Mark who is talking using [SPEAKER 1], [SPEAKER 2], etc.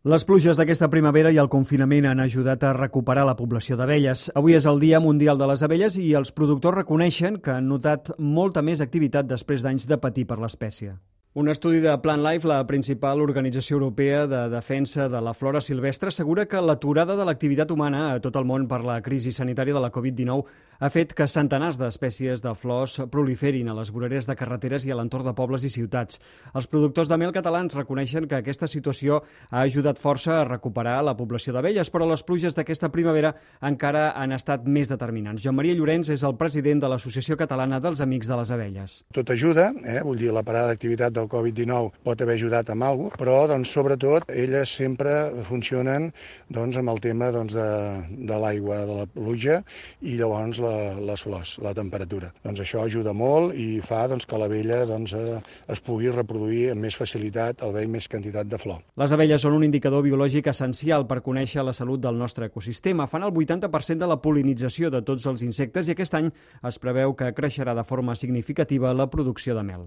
[SPEAKER 1] Les pluges d'aquesta primavera i el confinament han ajudat a recuperar la població d'abelles. Avui és el Dia Mundial de les Abelles i els productors reconeixen que han notat molta més activitat després d'anys de patir per l'espècie. Un estudi de Plant Life, la principal organització europea de defensa de la flora silvestre, assegura que l'aturada de l'activitat humana a tot el món per la crisi sanitària de la Covid-19 ha fet que centenars d'espècies de flors proliferin a les voreres de carreteres i a l'entorn de pobles i ciutats. Els productors de mel catalans reconeixen que aquesta situació ha ajudat força a recuperar la població d'abelles, però les pluges d'aquesta primavera encara han estat més determinants. Joan Maria Llorenç és el president de l'Associació Catalana dels Amics de les Abelles.
[SPEAKER 2] Tot ajuda, vull dir, la parada d'activitat del Covid-19 pot haver ajudat amb alguna cosa, però sobretot elles sempre funcionen amb el tema de l'aigua, de la pluja i llavors les flors, la temperatura. Això ajuda molt i fa que l'abella es pugui reproduir amb més facilitat, al haver més quantitat de flor.
[SPEAKER 1] Les abelles són un indicador biològic essencial per conèixer la salut del nostre ecosistema. Fan el 80% de la pol·linització de tots els insectes i aquest any es preveu que creixerà de forma significativa la producció de mel.